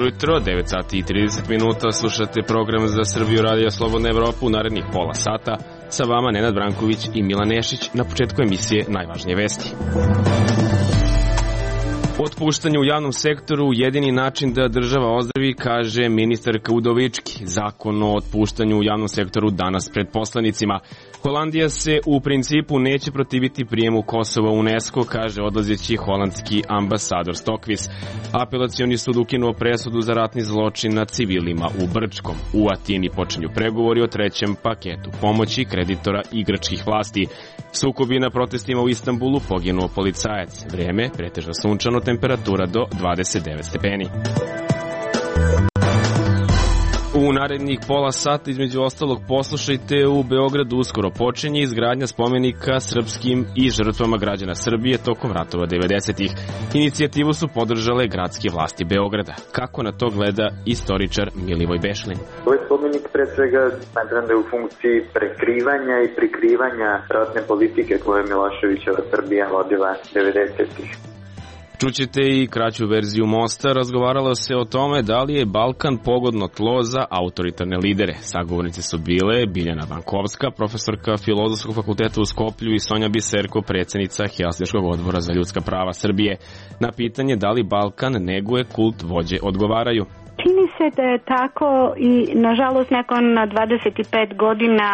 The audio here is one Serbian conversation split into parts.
Dobro jutro, 9 sati i 30 minuta, slušate program za Srbiju Radija Slobodna Evropa u narednih pola sata. Sa vama Nenad Branković i Milan Nešić. Na početku emisije najvažnije vesti. Otpuštanje u javnom sektoru jedini način da država ozdravi, kaže ministarka Udovički. Zakon o otpuštanju u javnom sektoru danas pred poslanicima. Holandija se u principu neće protiviti prijemu Kosova u UNESCO, kaže odlazeći holandski ambasador Stokvis. Apelacioni sud ukinuo presudu za ratni zločin nad civilima u Brčkom. U Atini počinju pregovori o trećem paketu pomoći kreditora igračkih vlasti. Sukobi na protestima u Istanbulu, poginuo policajac. Vreme pretežno sunčano, temperatura do 29 stepeni. U narednih pola sata, između ostalog, poslušajte, u Beogradu uskoro počinje izgradnja spomenika srpskim i žrtvama građana Srbije tokom ratova 90-ih. Inicijativu su podržale gradske vlasti Beograda. Kako na to gleda istoričar Milivoj Bešlin? Ovaj spomenik pre svega smatram da je u funkciji prekrivanja i prikrivanja ratne politike koje je Miloševićeva Srbija vodila 90-ih. Čućete i kraću verziju Mosta. Razgovaralo se o tome da li je Balkan pogodno tlo za autoritarne lidere. Sagovornici su bile Biljana Bankovska, profesorka Filozofskog fakulteta u Skoplju, i Sonja Biserko, predsjednica Helsinškog odbora za ljudska prava Srbije. Na pitanje da li Balkan neguje kult vođe odgovaraju: čini se da je tako i nažalost nakon 25 godina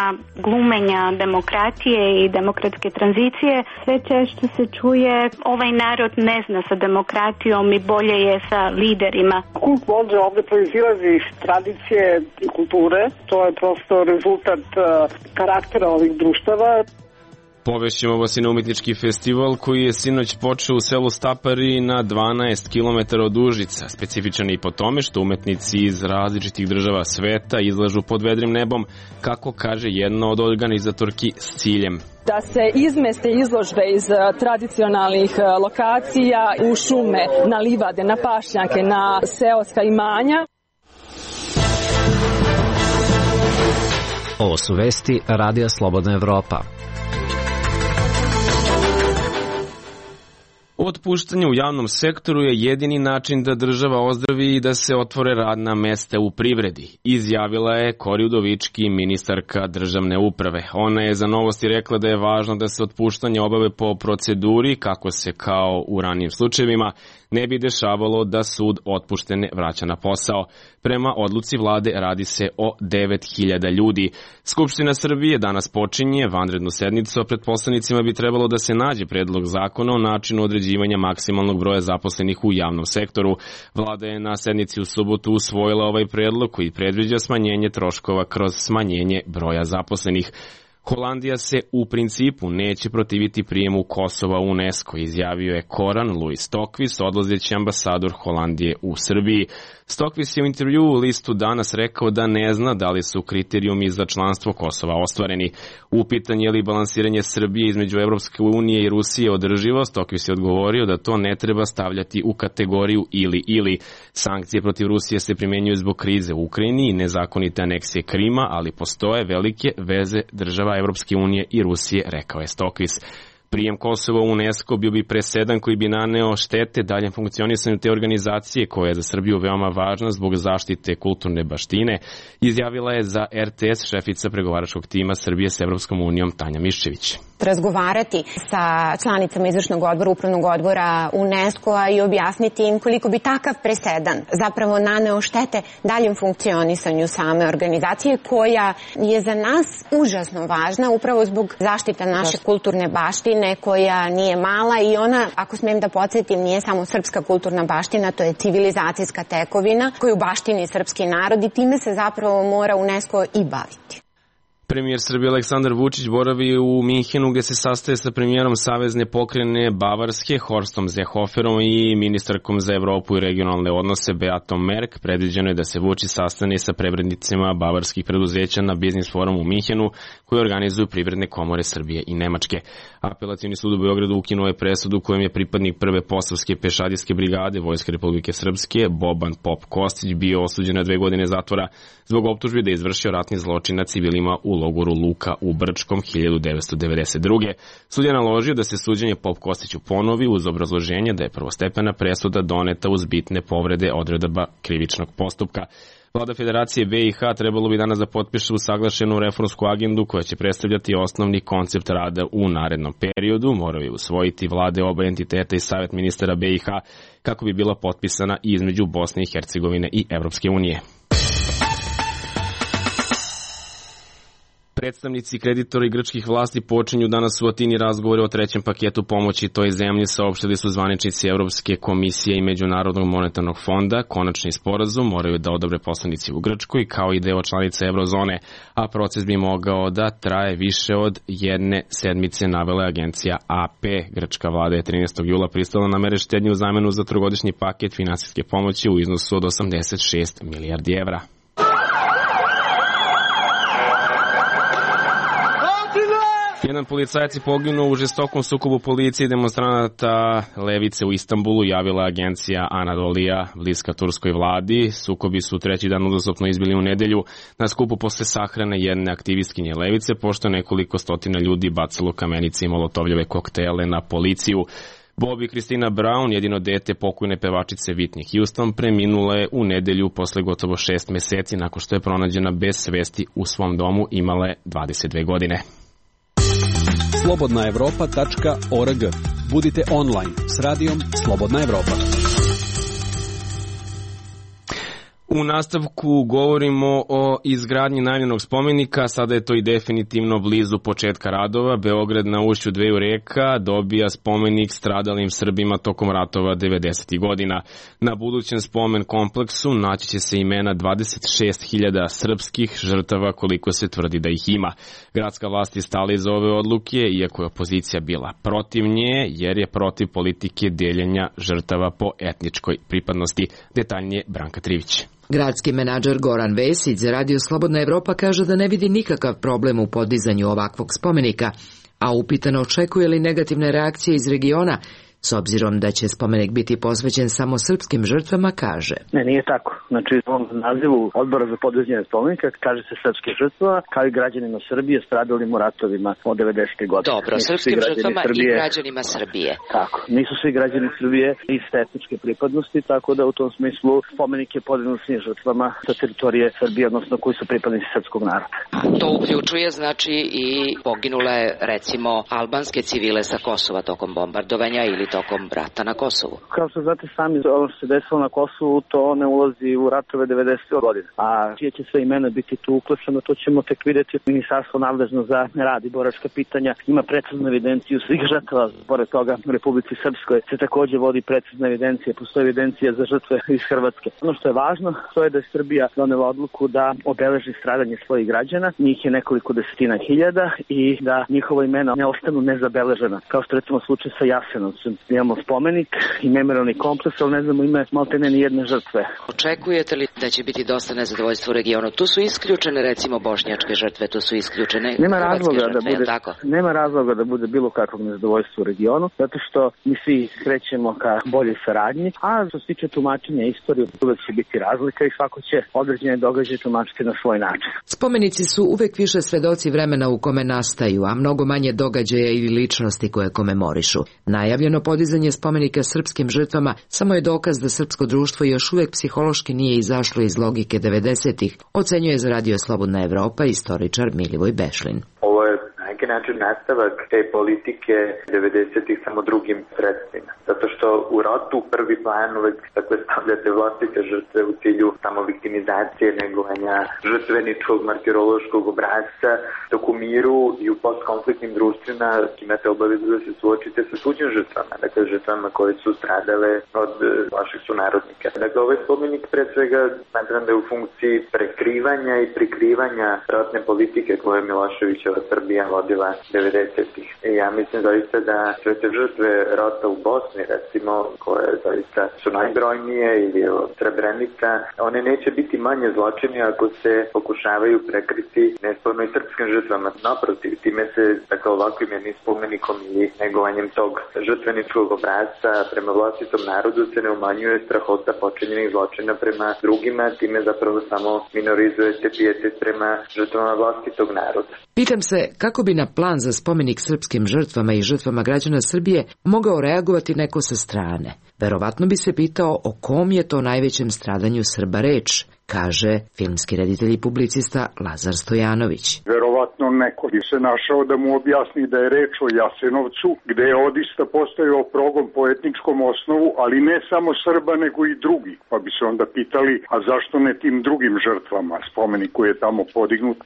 glumenja demokratije i demokratske tranzicije sve češće se čuje ovaj narod ne zna sa demokratijom i bolje je sa liderima. Kult vođe ovde proizilazi iz tradicije i kulture, to je prosto rezultat karaktera ovih društava. Povešćemo vas i na umetnički festival koji je sinoć počeo u selu Stapari na 12 km od Užica. Specifičan je i po tome što umetnici iz različitih država sveta izlažu pod vedrim nebom, kako kaže jedna od organizatorki, s ciljem da se izmeste izložbe iz tradicionalnih lokacija u šume, na livade, na pašnjake, na seoska imanja. Ovo su vesti Radija Slobodna Evropa. Otpuštanje u javnom sektoru je jedini način da država ozdravi i da se otvore radna mesta u privredi, izjavila je Kori Udovički, ministarka državne uprave. Ona je za Novosti rekla da je važno da se otpuštanje obave po proceduri, kako se kao u ranijim slučajevima ne bi dešavalo da sud otpuštene vraća na posao. Prema odluci vlade radi se o 9.000 ljudi. Skupština Srbije danas počinje vanrednu sednicu, a pred poslanicima bi trebalo da se nađe predlog zakona o načinu određivanja maksimalnog broja zaposlenih u javnom sektoru. Vlada je na sednici u subotu usvojila ovaj predlog koji predviđa smanjenje troškova kroz smanjenje broja zaposlenih. Holandija se u principu neće protiviti prijemu Kosova u UNESCO, izjavio je Koran Louis Stokvis, odlazeći ambasador Holandije u Srbiji. Stokvis je u intervjuu u listu danas rekao da ne zna da li su kriterijumi za članstvo Kosova ostvareni. U pitanje je li balansiranje Srbije između Evropske unije i Rusije održivo, Stokvis je odgovorio da to ne treba stavljati u kategoriju ili. Sankcije protiv Rusije se primjenjuju zbog krize u Ukrajini i nezakonite aneksije Krima, ali postoje velike veze država Evropske unije i Rusije, rekao je Stokvis. Prijem Kosova u UNESCO bio bi presedan koji bi naneo štete daljem funkcionisanju te organizacije, koja je za Srbiju veoma važna zbog zaštite kulturne baštine, izjavila je za RTS šefica pregovaračkog tima Srbije s Evropskom unijom Tanja Miščević. Razgovarati sa članicama izvršnog odbora, upravnog odbora UNESCO-a i objasniti im koliko bi takav presedan zapravo naneo štete daljem funkcionisanju same organizacije, koja je za nas užasno važna upravo zbog zaštita naše kulturne baštine, koja nije mala i ona, ako smijem da podsjetim, nije samo srpska kulturna baština, to je civilizacijska tekovina koju baštini srpski narod i time se zapravo mora UNESCO i baviti. Premijer Srbije Aleksandar Vučić boravi u Minhenu, gde se sastaje sa premijerom Savezne pokrajine Bavarske Horstom Seehoferom i ministarkom za Evropu i regionalne odnose Beatom Merk. Predviđeno je da se Vučić sastane sa privrednicima bavarskih preduzeća na biznis forumu u Minhenu, koji organizuju privredne komore Srbije i Nemačke. Apelacioni sud u Beogradu ukinuo je presudu kojom je pripadnik prve posavske pešadijske brigade Vojske Republike Srpske Boban Pop Kostić bio osuđen na 2 godine zatvora zbog optužbi da je izvršio ratni zločin nad civilima u logoru Luka u Brčkom 1992. Sudija naložio da se suđenje Pop Kostiću ponovi uz obrazloženje da je prvostepena presuda doneta uz bitne povrede odredaba krivičnog postupka. Vlada Federacije BiH trebalo bi danas da potpiše usaglašenu reformsku agendu koja će predstavljati osnovni koncept rada u narednom periodu. Moraju usvojiti vlade oba entiteta i Savet ministara BiH kako bi bila potpisana između Bosne i Hercegovine i Evropske unije. Predstavnici kreditora i grčkih vlasti počinju danas u Atini razgovore o trećem paketu pomoći toj zemlji, saopštili su zvaničnici Evropske komisije i Međunarodnog monetarnog fonda. Konačni sporazum moraju da odobre poslanici u Grčkoj kao i deo članica Eurozone, a proces bi mogao da traje više od jedne sedmice, navela agencija AP. Grčka vlada je 13. jula pristala na mere štednje u zamenu za trogodišnji paket finansijske pomoći u iznosu od 86 milijardi evra. Jedan policajac je poginuo u žestokom sukobu policije i demonstranata levice u Istanbulu, javila agencija Anadolija, bliska turskoj vladi. Sukobi su treći dan uzastopno izbili u nedelju na skupu posle sahrane jedne aktivistkinje levice, pošto je nekoliko stotina ljudi bacalo kamenice i molotovljeve koktele na policiju. Bobby Christina Brown, jedino dete pokojne pevačice Whitney Houston, preminula je u nedelju posle gotovo 6 meseci nakon što je pronađena bez svesti u svom domu, imala je 22 godine. Slobodnaevropa.org. Budite online s radijom Slobodna Evropa. U nastavku govorimo o izgradnji najavljenog spomenika, sada je to i definitivno blizu početka radova. Beograd na ušću dveju reka dobija spomenik stradalim Srbima tokom ratova 90. godina. Na budućem spomen kompleksu naći će se imena 26.000 srpskih žrtava, koliko se tvrdi da ih ima. Gradska vlast je stala iza ove odluke, iako je opozicija bila protiv nje, jer je protiv politike deljenja žrtava po etničkoj pripadnosti. Detaljnije Branka Trivić. Gradski menadžer Goran Vesić za Radio Slobodna Evropa kaže da ne vidi nikakav problem u podizanju ovakvog spomenika, a upitano očekuje li negativne reakcije iz regiona, s obzirom da će spomenik biti posvećen samo srpskim žrtvama, kaže. Ne, nije tako. Znači, u ovom nazivu Odbora za podizanje spomenika kaže se srpskim žrtvama, kao i građanima Srbije stradalim u ratovima od 90. godine. Dobro, srpskim žrtvama Srbije, i građanima Srbije. Tako, nisu svi građani Srbije iste etničke pripadnosti, tako da u tom smislu spomenik je podignut svim žrtvama sa teritorije Srbije, odnosno koji su pripadnici srpskog naroda. To uključuje, znači, i poginule, recimo, albanske civile sa Kosova tokom bombardovanja ili tokom rata na Kosovu. Kao što znate sami, ono što se desilo na Kosovu, to ne ulazi u ratove 90. godine. A čije će sve imena biti tu uključeno, to ćemo tek vidjeti. Ministarstvo nadležno za rad i boračka pitanja ima preciznu evidenciju svih žrtava. Pored toga, u Republici Srpskoj se također vodi precizna evidencija, postoji evidencija za žrtve iz Hrvatske. Ono što je važno, to je da je Srbija donela odluku da obeleži stradanje svojih građana. Njih je nekoliko desetina hiljada i da njihova imena ne ostanu nezabeležena. Kao što recimo slučaj sa Jasenovcem. Imamo spomenik i memorijalni kompleks, ali ne znamo ime maltene ni jedne žrtve. Očekujete li da će biti dosta nezadovoljstva u regionu? Tu su isključene recimo bošnjačke žrtve, tu su isključene hrvatske žrtve, tako? Nema razloga da bude bilo kakvog nezadovoljstva u regionu, zato što mi svi krećemo ka boljoj saradnji, a što se tiče tumačenja istorije, uvek će biti razlika i svako će određene događaje tumačiti na svoj način. Spomenici su uvek više svedoci vremena u kome nastaju, a mnogo manje događaja ili ličnosti koje komemorišu. Najavljeno podizanje spomenika srpskim žrtvama samo je dokaz da srpsko društvo još uvek psihološki nije izašlo iz logike 90-ih, ocenjuje za Radio Slobodna Evropa istoričar Milivoj Bešlin. Ovo je na neki način nastavak te politike 90-ih samo drugim sredstvima. Zato što u ratu prvi plan uvek stavljate vlastite žrtve u cilju samo viktimizacije, negovanja žrtveničkog, martirološkog obrazca, dok u miru i u postkonfliktnim društvima imate obavezu da se suočite sa tuđim žrtvama, dakle žrtvama koje su stradale od vaših sunarodnika. Dakle, ovaj spomenik pre svega smatram da je u funkciji prekrivanja i prikrivanja ratne politike koje Miloševićeva Srbija vodi vodila 90-ih. I ja mislim zaista da sve te žrtve rata u Bosni, recimo, koje zaista su najbrojnije, ili Srebrenica, one neće biti manje zločini ako se pokušavaju prekriti nesporno i srpskim žrtvama. Naprotiv, time se ovakvim jednim spomenikom ili negovanjem tog žrtveničkog obrasca prema vlastitom narodu se ne umanjuje strahota počinjenih zločina prema drugima, time zapravo samo minorizujete pijetet prema žrtvama vlastitog naroda. Pitam se kako bi na plan za spomenik srpskim žrtvama i žrtvama građana Srbije mogao reagovati neko sa strane. Verovatno bi se pitao o kom je to najvećem stradanju Srba reč, kaže filmski reditelj i publicista Lazar Stojanović. Verovatno neko bi se našao da mu objasni da je reč o Jasenovcu, gde je odista postojao progon po etničkom osnovu, ali ne samo Srba nego i drugi. Pa bi se onda pitali, a zašto ne tim drugim žrtvama? Spomenik koji je tamo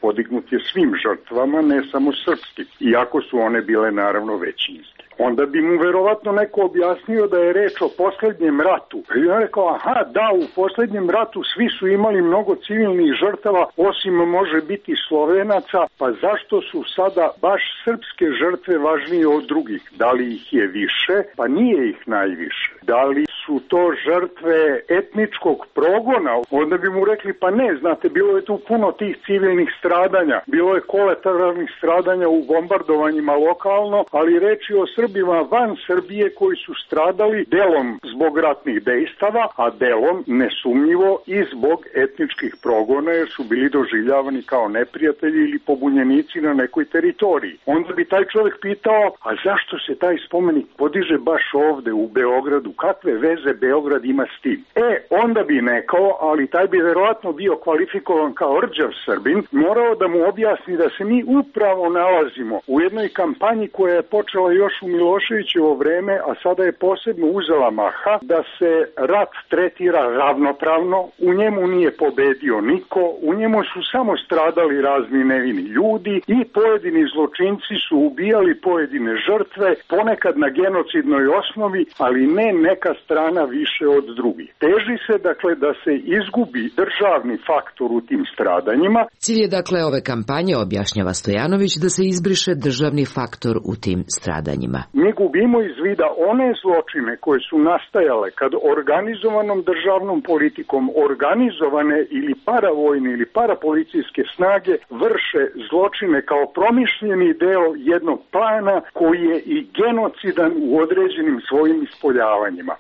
podignut je svim žrtvama, ne samo srpskim, iako su one bile naravno većinske. Onda bi mu verovatno neko objasnio da je reč o poslednjem ratu. I on rekao, aha, da, u poslednjem ratu svi su imali mnogo civilnih žrtava, osim može biti Slovenaca, pa zašto su sada baš srpske žrtve važnije od drugih? Da li ih je više? Pa nije ih najviše. Da li su to žrtve etničkog progona? Onda bi mu rekli, pa ne, znate, bilo je tu puno tih civilnih stradanja, bilo je kolateralnih stradanja u bombardovanjima lokalno, ali reč je o Srbima van Srbije koji su stradali delom zbog ratnih dejstava, a delom nesumnjivo i zbog etničkih progona, jer su bili doživljavani kao neprijatelji ili pobunjenici na nekoj teritoriji. Onda bi taj čovjek pitao, a zašto se taj spomenik podiže baš ovde u Beogradu? Kakve veze Beograd ima s tim? Onda bi nekao, ali taj bi verovatno bio kvalifikovan kao rđav Srbin, morao da mu objasni da se mi upravo nalazimo u jednoj kampanji koja je počela još u Miloševićevo vreme, a sada je posebno uzela maha, da se rat tretira ravnopravno, u njemu nije pobedio niko, u njemu su samo stradali razni nevini ljudi i pojedini zločinci su ubijali pojedine žrtve, ponekad na genocidnoj osnovi, ali ne neka strana više od drugih. Teži se, dakle, da se izgubi državni faktor u tim stradanjima. Cilj je, dakle, ove kampanje, objašnjava Stojanović, da se izbriše državni faktor u tim stradanjima. Mi gubimo iz vida one zločine koje su nastajale kad organizovanom državnom politikom organizovane ili paravojne ili parapolicijske snage vrše zločine kao promišljeni deo jednog plana koji je i genocidan u određenim svojim ispoljavanjima.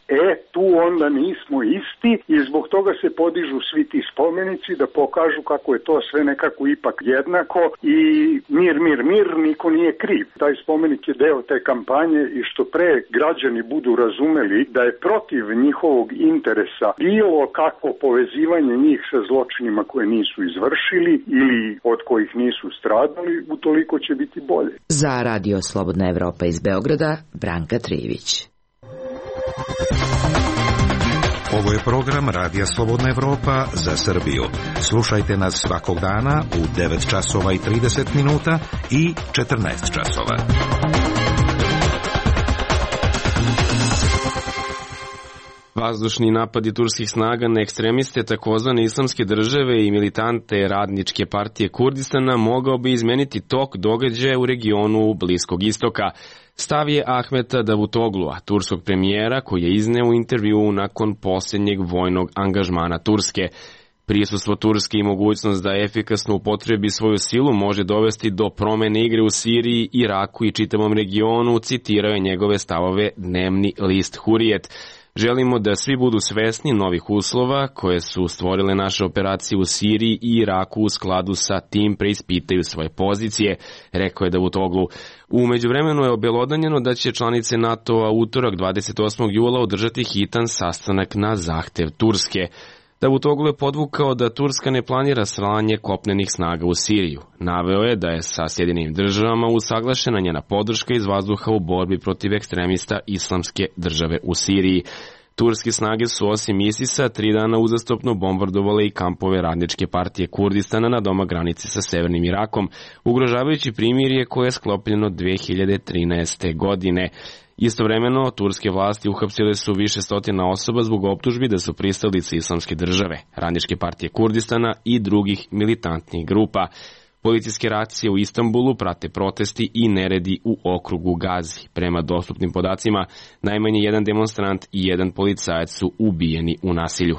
Tu onda nismo isti i zbog toga se podižu svi ti spomenici da pokažu kako je to sve nekako ipak jednako i mir, niko nije kriv. Taj spomenik je deo te kampanje i što pre građani budu razumeli da je protiv njihovog interesa bilo kakvo povezivanje njih sa zločinima koje nisu izvršili ili od kojih nisu stradali, utoliko će biti bolje. Za Radio Slobodna Evropa iz Beograda, Branka Trijević. Ovo je program Radija Slobodna Evropa za Srbiju. Slušajte nas svakog dana u 9 časova i 30 minuta i 14 časova. Vazdušni napadi turskih snaga na ekstremiste takozvane islamske države i militante Radničke partije Kurdistana mogao bi izmeniti tok događaja u regionu Bliskog istoka. Stav je Ahmeta Davutoglua, turskog premijera, koji je izneo u intervjuu nakon posljednjeg vojnog angažmana Turske. Prisustvo Turske i mogućnost da efikasno upotrebi svoju silu može dovesti do promene igre u Siriji, Iraku i čitavom regionu, citirao je njegove stavove dnevni list Hurijet. Želimo da svi budu svesni novih uslova koje su stvorile naše operacije u Siriji i Iraku u skladu sa tim preispitaju svoje pozicije, rekao je Davutoglu. U međuvremenu je obelodanjeno da će članice NATO-a utorak 28. jula održati hitan sastanak na zahtev Turske. Davutoglu je podvukao da Turska ne planira slanje kopnenih snaga u Siriju. Naveo je da je sa Sjedinjenim državama usaglašena njena podrška iz vazduha u borbi protiv ekstremista Islamske države u Siriji. Turske snage su osim ISIS-a 3 dana uzastopno bombardovale i kampove Radničke partije Kurdistana na doma granice sa severnim Irakom, ugrožavajući primirje koje je sklopljeno 2013. godine. Istovremeno, turske vlasti uhapsile su više stotina osoba zbog optužbi da su pristalice Islamske države, Radničke partije Kurdistana i drugih militantnih grupa. Policijske racije u Istanbulu prate protesti i neredi u okrugu Gazi. Prema dostupnim podacima, najmanje jedan demonstrant i jedan policajac su ubijeni u nasilju.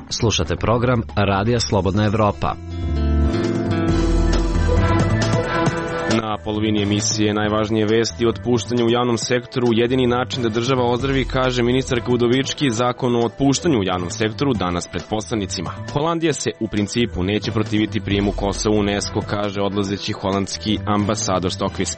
Slušate program Radija Slobodna Evropa. Na polovini emisije najvažnije vesti o otpuštanju u javnom sektoru. Jedini način da država ozdravi, kaže ministarka Udovički, zakon o otpuštanju u javnom sektoru danas pred poslanicima. Holandija se u principu neće protiviti prijemu Kosova u UNESCO, kaže odlazeći holandski ambasador Stokvis.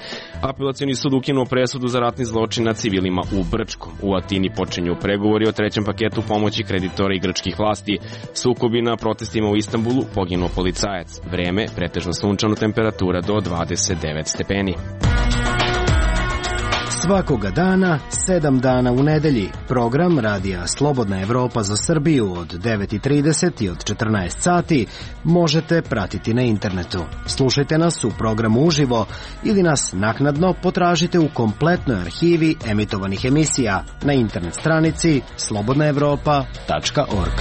Apelacioni sud ukinuo presudu za ratni zločin nad civilima u Brčkom. U Atini počinju pregovori o trećem paketu pomoći kreditora i grčkih vlasti. Sukobi na protestima u Istanbulu, poginuo policajac. Vreme, pretežno sunčano, temperatura do 29 stepeni. Svakoga dana, 7 dana u nedelji. Program Radija Slobodna Evropa za Srbiju od 9:30 i od 14 sati možete pratiti na internetu. Slušajte nas u programu uživo ili nas naknadno potražite u kompletnoj arhivi emitovanih emisija na internet stranici slobodnaevropa.org.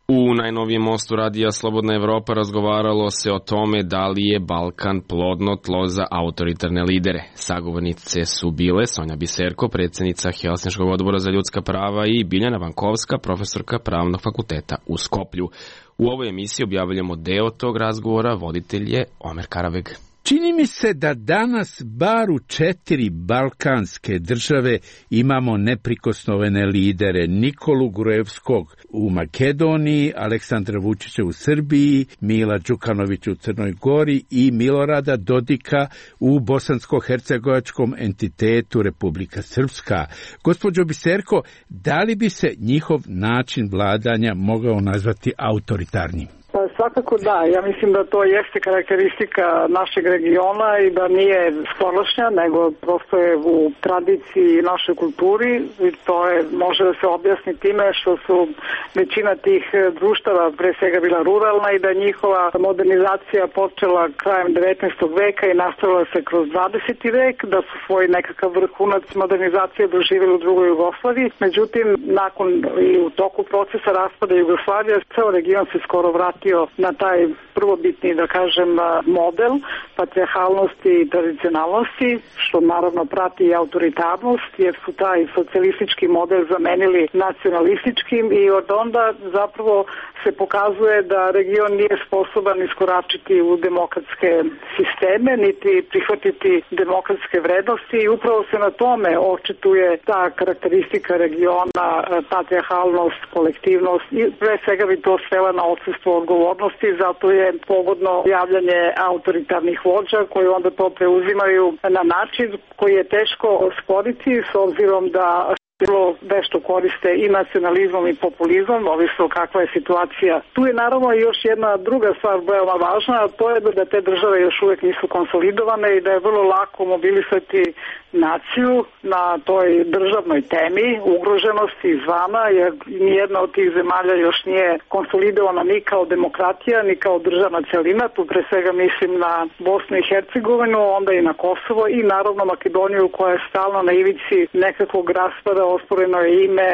U najnovijem mostu Radija Slobodna Evropa razgovaralo se o tome da li je Balkan plodno tlo za autoritarne lidere. Sagovornice su bile Sonja Biserko, predsjednica Helsinškog odbora za ljudska prava, i Biljana Vankovska, profesorka Pravnog fakulteta u Skoplju. U ovoj emisiji objavljamo deo tog razgovora, voditelj je Omer Karaveg. Čini mi se da danas bar u 4 balkanske države imamo neprikosnovene lidere: Nikolu Gruevskog u Makedoniji, Aleksandra Vučića u Srbiji, Mila Đukanovića u Crnoj Gori i Milorada Dodika u bosansko-hercegovačkom entitetu Republika Srpska. Gospođo Biserko, da li bi se njihov način vladanja mogao nazvati autoritarnim? Svakako da, ja mislim da to jeste karakteristika našeg regiona i da nije skorošnja, nego prosto je u tradiciji i našoj kulturi, i to može da se objasni time što su većina tih društava pre svega bila ruralna i da njihova modernizacija počela krajem 19. veka i nastavila se kroz 20. vek, da su svoj nekakav vrhunac modernizacije doživjeli u drugoj Jugoslaviji. Međutim, nakon i u toku procesa raspada Jugoslavije, ceo region se skoro vratio na taj prvobitni, da kažem, model patrijarhalnosti i tradicionalnosti, što naravno prati i autoritarnost, jer su taj socijalistički model zamenili nacionalističkim, i od onda zapravo se pokazuje da region nije sposoban iskoračiti u demokratske sisteme, niti prihvatiti demokratske vrednosti, i upravo se na tome očituje ta karakteristika regiona, patrijarhalnost, kolektivnost, i pre svega bi to svela na odsustvo odgovornosti, zato je pogodno javljanje autoritarnih vođa koji onda to preuzimaju na način koji je teško osporiti, s obzirom da vrlo vešto koriste i nacionalizmom i populizmom, ovisno kakva je situacija. Tu je naravno još jedna druga stvar veoma važna, a to je da te države još uvek nisu konsolidovane i da je vrlo lako mobilisati naciju na toj državnoj temi ugroženosti izvana, jer nijedna od tih zemalja još nije konsolidovana ni kao demokratija, ni kao državna celina. Tu pre svega mislim na Bosnu i Hercegovinu, onda i na Kosovo i naravno Makedoniju, koja je stalno na ivici nekakvog raspada, osporeno je ime,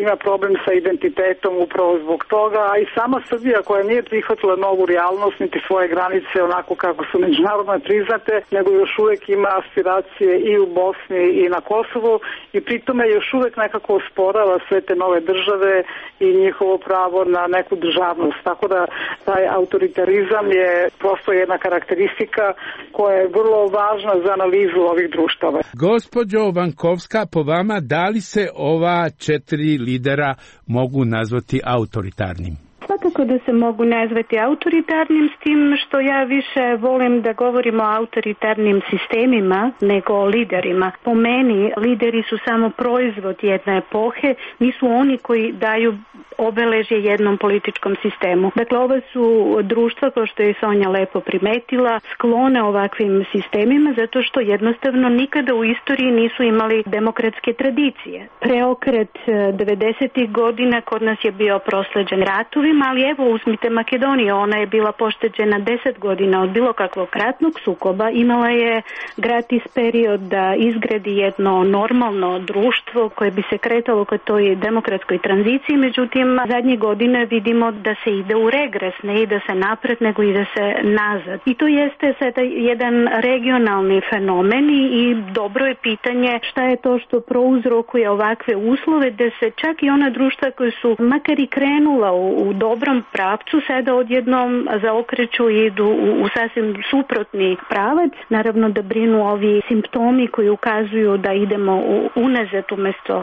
ima problem sa identitetom upravo zbog toga, a i sama Srbija, koja nije prihvatila novu realnost niti svoje granice onako kako su međunarodno priznate, nego još uvek ima aspiracije i u Bosni i na Kosovu, i pritome još uvek nekako osporava sve te nove države i njihovo pravo na neku državnost. Tako da taj autoritarizam je prosto jedna karakteristika koja je vrlo važna za analizu ovih društava. Gospođo Vankovska, po vama, da li se ova 4 lidera mogu nazvati autoritarnim? Svakako da se mogu nazvati autoritarnim, s tim što ja više volim da govorimo o autoritarnim sistemima nego o liderima. Po meni, lideri su samo proizvod jedne epohe, nisu oni koji daju obeležje jednom političkom sistemu. Dakle, ova su društva, kao što je Sonja lepo primetila, sklone ovakvim sistemima zato što jednostavno nikada u istoriji nisu imali demokratske tradicije. Preokret 90. godina kod nas je bio prosleđen ratovima, ali evo uzmite Makedoniju, ona je bila pošteđena 10 godina od bilo kakvog ratnog sukoba, imala je gratis period da izgradi jedno normalno društvo koje bi se kretalo ka toj demokratskoj tranziciji, međutim zadnjih godina vidimo da se ide u regres, ne ide se napred, nego ide se nazad. I to jeste sada jedan regionalni fenomen i dobro je pitanje šta je to što prouzrokuje ovakve uslove, da se čak i ona društva koje su makar i krenula u dobrom pravcu, sada odjednom zaokreću i idu u sasvim suprotni pravac. Naravno da brinu ovi simptomi koji ukazuju da idemo unazad umjesto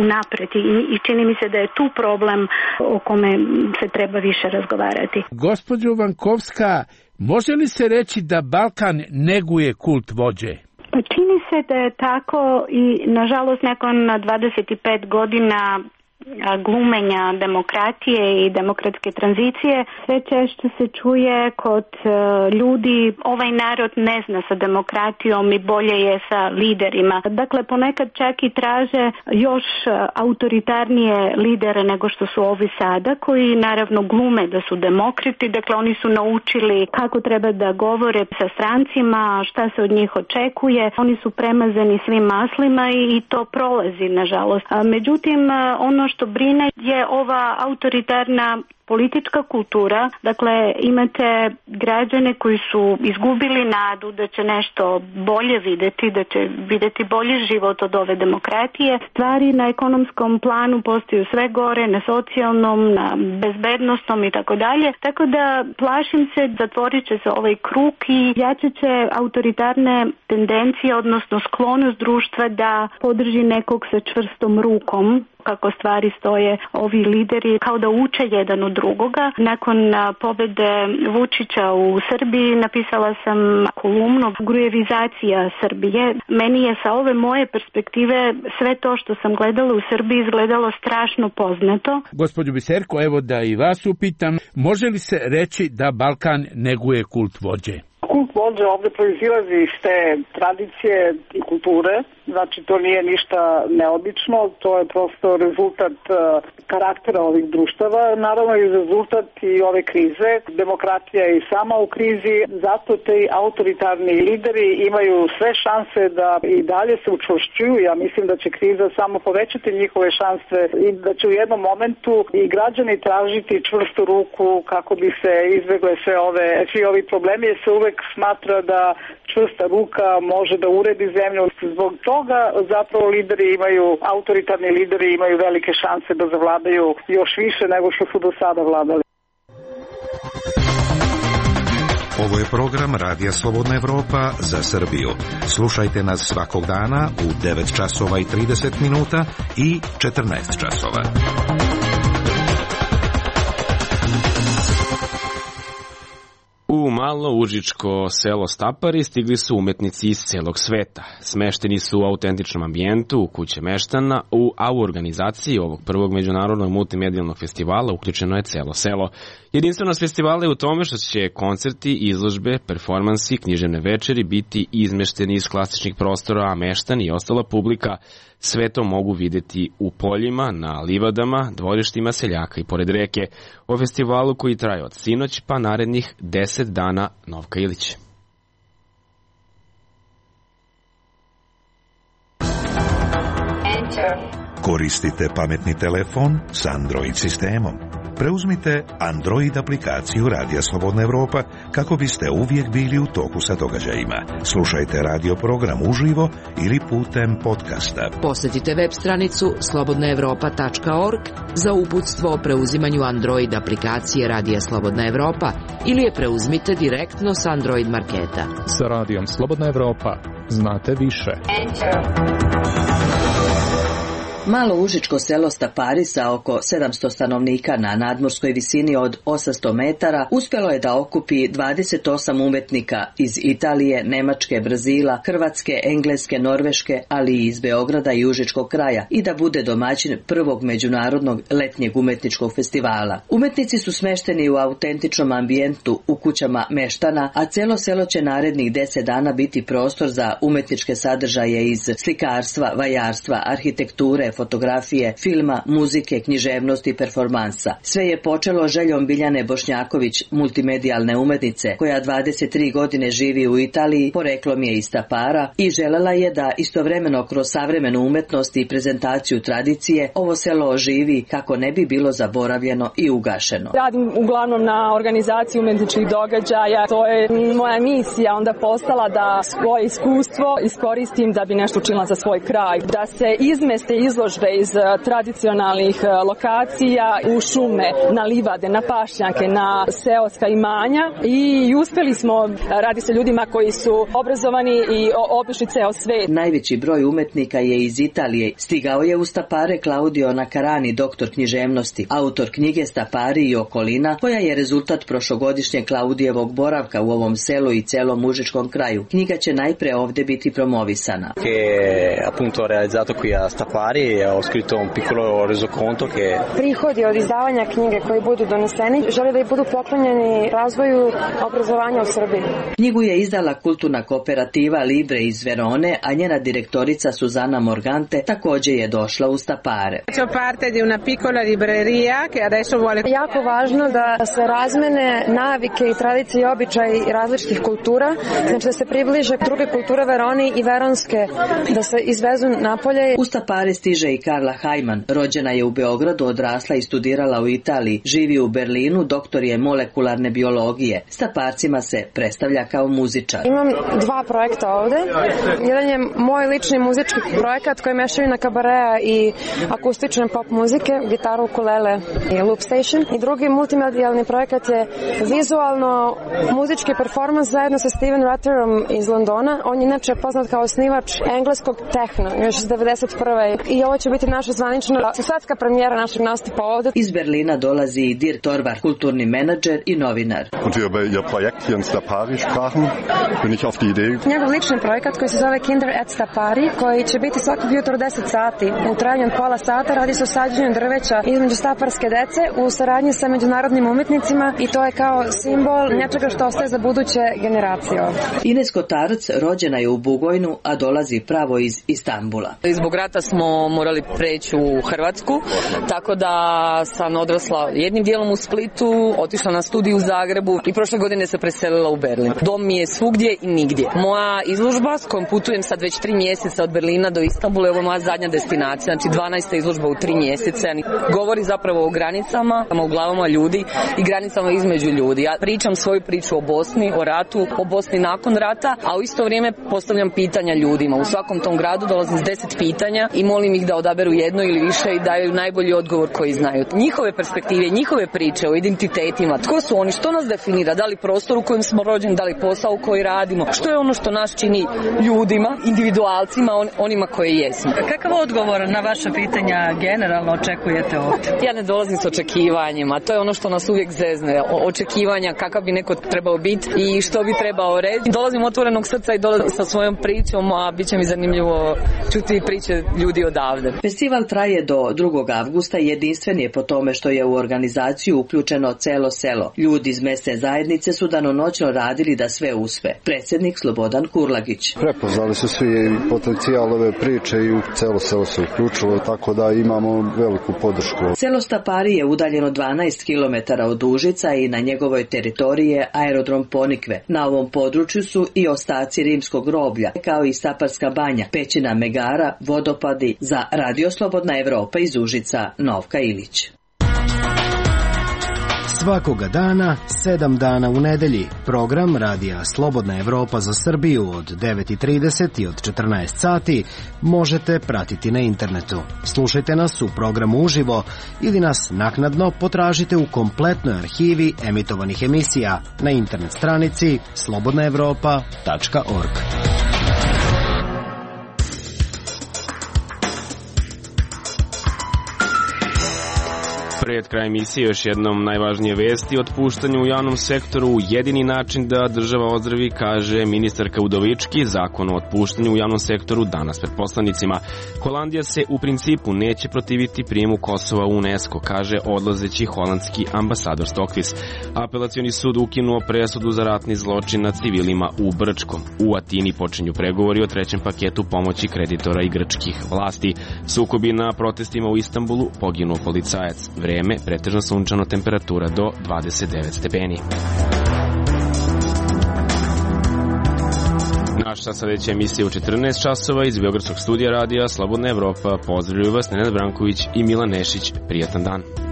unapred i čini mi se da je tu problem o kome se treba više razgovarati. Gospođo Vankovska, može li se reći da Balkan neguje kult vođe? Pa čini se da je tako i nažalost nakon 25 godina glumenja demokratije i demokratske tranzicije sve češće se čuje kod ljudi ovaj narod ne zna sa demokratijom i bolje je sa liderima. Dakle, ponekad čak i traže još autoritarnije lidere nego što su ovi sada, koji naravno glume da su demokrati. Dakle, oni su naučili kako treba da govore sa strancima, šta se od njih očekuje. Oni su premazani svim maslima i to prolazi, nažalost. Međutim, ono što brine je ova autoritarna politička kultura. Dakle, imate građane koji su izgubili nadu da će nešto bolje vidjeti, da će vidjeti bolji život od ove demokratije. Stvari na ekonomskom planu postaju sve gore, na socijalnom, na bezbednostnom i tako dalje. Tako da plašim se, zatvorit će se ovaj krug i jačat će autoritarne tendencije, odnosno sklonost društva da podrži nekog sa čvrstom rukom. Kako stvari stoje, ovi lideri kao da uče jedan od drugoga. Nakon pobede Vučića u Srbiji napisala sam kolumnu Grujevizacija Srbije. Meni je sa ove moje perspektive sve to što sam gledala u Srbiji izgledalo strašno poznato. Gospođo Biserko, evo da i vas upitam, može li se reći da Balkan neguje kult vođe? Kult vođe ovde proizilazi iz te tradicije i kulture, znači to nije ništa neobično, to je prosto rezultat karaktera ovih društava, naravno i rezultat i ove krize. Demokratija je i sama u krizi, zato te autoritarni lideri imaju sve šanse da i dalje se učvršćuju. Ja mislim da će kriza samo povećati njihove šanse i da će u jednom momentu i građani tražiti čvrstu ruku kako bi se izbegle svi ovi problemi, jer se uvek smatra da čvrsta ruka može da uredi zemlju. Zbog toga zapravo autoritarni lideri imaju velike šanse da zavladaju još više nego što su do sada vladali. Ovo je program Radija Slobodna Evropa za Srbiju. Slušajte nas svakog dana u 9 časova i 30 minuta i 14 časova. U malo užičko selo Stapari stigli su umetnici iz celog sveta. Smešteni su u autentičnom ambijentu, u kuće meštana, a u organizaciji ovog prvog međunarodnog multimedijalnog festivala uključeno je celo selo. Jedinstvenost festivala je u tome što će koncerti, izložbe, performansi, književne večeri biti izmešteni iz klasičnih prostora, a meštani i ostala publika sve to mogu videti u poljima, na livadama, dvorištima seljaka i pored reke. O festivalu koji traje od sinoć pa narednih 10 dana. Novka Ilić. Koristite pametni telefon s Android sistemom. Preuzmite Android aplikaciju Radija Slobodna Evropa kako biste uvijek bili u toku sa događajima. Slušajte radio program uživo ili putem podcasta. Posjetite web stranicu slobodnaevropa.org za uputstvo o preuzimanju Android aplikacije Radija Slobodna Evropa ili je preuzmite direktno s Android marketa. Sa Radijom Slobodna Evropa znate više. Malo užičko selo Stapari sa oko 700 stanovnika na nadmorskoj visini od 800 metara uspjelo je da okupi 28 umetnika iz Italije, Nemačke, Brazila, Hrvatske, Engleske, Norveške, ali i iz Beograda i užičkog kraja i da bude domaćin prvog međunarodnog letnjeg umetničkog festivala. Umetnici su smešteni u autentičnom ambijentu u kućama meštana, a celo selo će narednih 10 dana biti prostor za umetničke sadržaje iz slikarstva, vajarstva, arhitekture, filmske fotografije, filma, muzike, književnosti i performansa. Sve je počelo željom Biljane Bošnjaković, multimedijalne umetnice, koja 23 godine živi u Italiji, poreklom je iz Tapara i želela je da istovremeno kroz savremenu umetnost i prezentaciju tradicije ovo selo oživi kako ne bi bilo zaboravljeno i ugašeno. Radim uglavnom na organizaciji umetničkih događaja. To je moja misija onda postala da svoje iskustvo iskoristim da bi nešto učinila za svoj kraj. Da se izmeste izložbe iz tradicionalnih lokacija u šume, na livade, na pašnjake, na seoska imanja i uspeli smo, radi se ljudima koji su obrazovani i obišli ceo svet. Najveći broj umetnika je iz Italije. Stigao je u Stapare Claudio Nacarani, doktor književnosti, autor knjige Stapari i okolina, koja je rezultat prošlogodišnjeg Claudijevog boravka u ovom selu i celom užičkom kraju. Knjiga će najpre ovde biti promovisana. Appunto realizzato qui a Stapari, ho scritto un piccolo resoconto che prihodi od izdavanja knjige koji budu doneseni žele da i budu poklonjeni razvoju obrazovanja u Srbiji. Knjigu je izdala kulturna kooperativa Libre iz Verone, a njena direktorica Suzana Morgante takođe je došla u Stapare. Jako važno da se razmene navike i tradicije i običaji različitih kultura, znači da se približe druge kulture Veroni i veronske, da se izvezu napolje. U Stapare stiže i Karla Hajman. Rođena je u Beogradu, odrasla i studirala u Italiji. Živi u Berlinu, doktor je molekularne biologije. Staparcima se predstavlja kao muzičar. Imam dva projekta ovde. Jedan je moj lični muzički projekat koji mešaju na kabarea i akustične pop muzike, gitaru, ukulele i loop station. I drugi multimedijalni projekat je vizualno muzički performans zajedno sa Steven Ratterom iz Londona. On je inače poznat kao osnivač engleskog tehno, još iz 91. I ovo će biti naša zvanična svetska premijera našeg nastupa ovde. Iz Berlina dolazi i Dirk Torvar, kulturni menadžer i novinar. Njegov lični projekat koji se zove Kinder at Stapari, koji će biti svakog jutra 10 sati. U trajanju od pola sata radi se o sađenju drveća između staparske dece u saradnji sa međunarodnim umetnicima i to je kao simbol nečega što ostaje za buduće generacije. Ines Kotarac rođena je u Bugojnu, a dolazi pravo iz Istanbula. Zbog rata smo morali preći u Hrvatsku, tako da sam odrasla jednim dijelom u Splitu, otišla na studiju u Zagrebu i prošle godine se preselila u Berlin. Dom mi je svugdje i nigdje. Moja izložba s kojom putujem sad već 3 mjeseca od Berlina do Istanbula je ovo moja zadnja destinacija, znači 12. izložba u 3 mjeseca. Govori zapravo o granicama, u glavama ljudi i granicama između ljudi. Ja pričam svoju priču o Bosni, o ratu, o Bosni nakon rata, a u isto vrijeme postavljam pitanja ljudima. U svakom tom gradu dolazim s 10 pitanja i molim ih da odaberu jedno ili više i daju najbolji odgovor koji znaju. Njihove perspektive, njihove priče o identitetima, tko su oni, što nas definira, da li prostor u kojem smo rođeni, da li posao koji radimo, što je ono što nas čini ljudima, individualcima, onima koji jesmo. Kakav odgovor na vaše pitanja generalno očekujete ovdje? Ja ne dolazim s očekivanjima, to je ono što nas uvijek zezne, očekivanja kakav bi neko trebao biti i što bi trebao reći. Dolazim otvorenog srca i dolazim sa svojom pričom, a bit će mi zanimljivo čuti priče ljudi odavde. Festival traje do 2. avgusta i jedinstven je po tome što je u organizaciju uključeno celo selo. Ljudi iz mesne zajednice su danonoćno radili da sve uspe. Predsjednik Slobodan Kurlagić. Prepoznali su svi potencijal ove priče i celo selo se uključilo, tako da imamo veliku podršku. Selo Stapari je udaljeno 12 km od Užica i na njegovoj teritoriji je aerodrom Ponikve. Na ovom području su i ostaci rimskog groblja, kao i Staparska banja, pećina Megara, vodopadi. Za Radio Slobodna Evropa iz Užica, Novka Ilić. Svakoga dana, 7 dana u nedelji, program Radija Slobodna Evropa za Srbiju od 9:30 i od 14 sati možete pratiti na internetu. Slušajte nas u programu uživo ili nas naknadno potražite u kompletnoj arhivi emitovanih emisija na internet stranici slobodnaevropa.org. Pred kraj emisije još jednom najvažnije vesti. Otpuštanje u javnom sektoru jedini način da država ozdravi, kaže ministarka Udovički. Zakon o otpuštanju u javnom sektoru danas pred poslanicima. Holandija se u principu neće protiviti prijemu Kosova u UNESCO, kaže odlazeći holandski ambasador Stokvis. Apelacioni sud ukinuo presudu za ratni zločin nad civilima u Brčkom. U Atini počinju pregovori o trećem paketu pomoći kreditora i grčkih vlasti. Sukobi na protestima u Istanbulu, poginuo policajac. Vreme, pretežno sunčano, temperatura do 29 stepeni. Naša sledeća emisija u 14 časova iz Beogradskog studija radija Slobodna Evropa. Pozdravljuju vas Nenad Branković i Milan Nešić. Prijatan dan.